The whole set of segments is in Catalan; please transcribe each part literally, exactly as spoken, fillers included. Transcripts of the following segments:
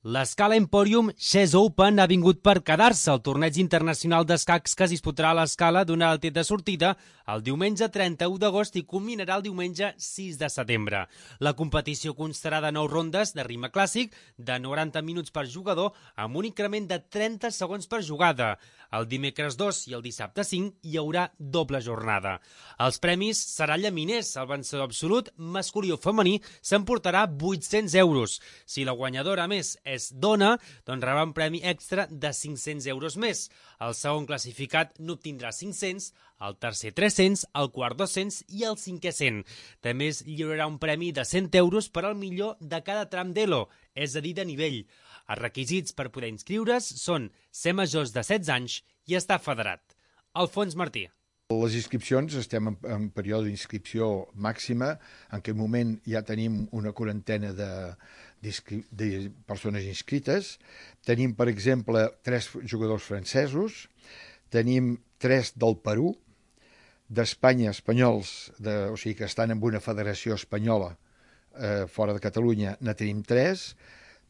L'Escala Emporium Chess Open ha vingut per quedar-se. El torneig internacional d'escacs que es disputarà a l'Escala donarà el tret de sortida el diumenge trenta-u d'agost i culminarà el diumenge sis de setembre. La competició constarà de nou rondes de ritme clàssic de noranta minuts per jugador amb un increment de trenta segons per jugada. El dimecres dos i el dissabte cinc hi haurà doble jornada. Els premis seran llaminers. El vencedor absolut, masculí o femení, s'emportarà vuit-cents euros. Si la guanyadora, a més, és dona, doncs rebrà un premi extra de cinc-cents euros més. El segon classificat n'obtindrà cinc-cents, el tercer tres-cents, el quart dos-cents i el cinquè cent. També es lliurarà un premi de cent euros per al millor de cada tram d'Elo, és a dir, de nivell. Els requisits per poder inscriure's són ser majors de setze anys i estar federat. Alfons Martí. Les inscripcions, estem en, en període d'inscripció màxima. En aquest moment ja tenim una quarantena de, de persones inscrites. Tenim, per exemple, tres jugadors francesos, tenim tres del Perú, d'Espanya, espanyols, de, o sigui que estan en una federació espanyola eh, fora de Catalunya, ne tenim tres,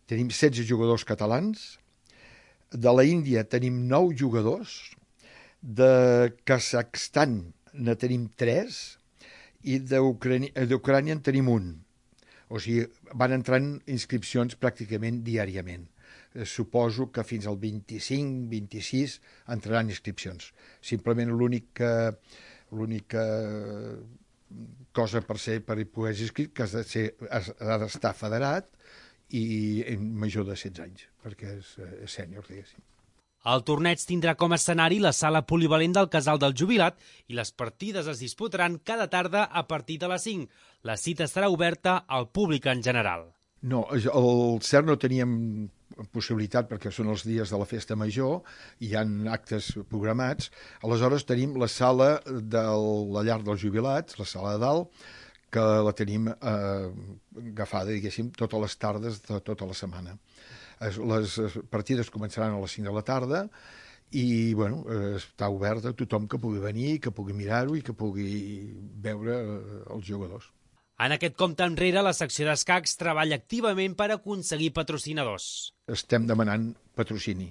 tenim setze jugadors catalans, de la Índia tenim nou jugadors, de Kazakhstan ne tenim tres i d'Ucrània en tenim un. O sigui, van entrant inscripcions pràcticament diàriament. Suposo que fins al vint-i-cinc vint-i-sis entraran inscripcions. Simplement l'única l'única cosa per ser per poder ser inscrit que has de ser, ha d'estar federat i major de setze anys, perquè és, és sènior, diguéssim. El torneig tindrà com a escenari la sala polivalent del Casal del Jubilat i les partides es disputaran cada tarda a partir de les cinc. La cita estarà oberta al públic en general. No, al C E R no teníem possibilitat perquè són els dies de la festa major i hi ha actes programats. Aleshores tenim la sala de la llar dels jubilats, la sala de dalt, que la tenim eh, agafada, diguéssim, totes les tardes de tota la setmana. Les partides començaran a les cinc de la tarda i bueno, està oberta a tothom que pugui venir, que pugui mirar-ho i que pugui veure els jugadors. En aquest compte enrere, la secció d'escacs treballa activament per aconseguir patrocinadors. Estem demanant patrocini.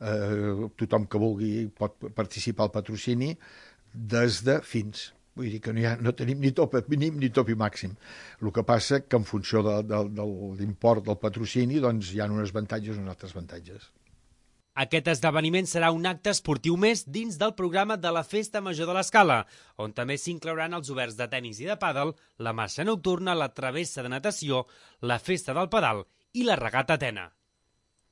Eh, tothom que vulgui pot participar al patrocini des de fins. Vull dir que no, ha, no tenim ni top mínim ni top màxim. El que passa que en funció de, de, de l'import del patrocini doncs hi ha uns avantatges i uns altres avantatges. Aquest esdeveniment serà un acte esportiu més dins del programa de la Festa Major de l'Escala, on també s'inclouran els oberts de tenis i de pàdel, la marxa nocturna, la travessa de natació, la festa del pedal i la regata Atena.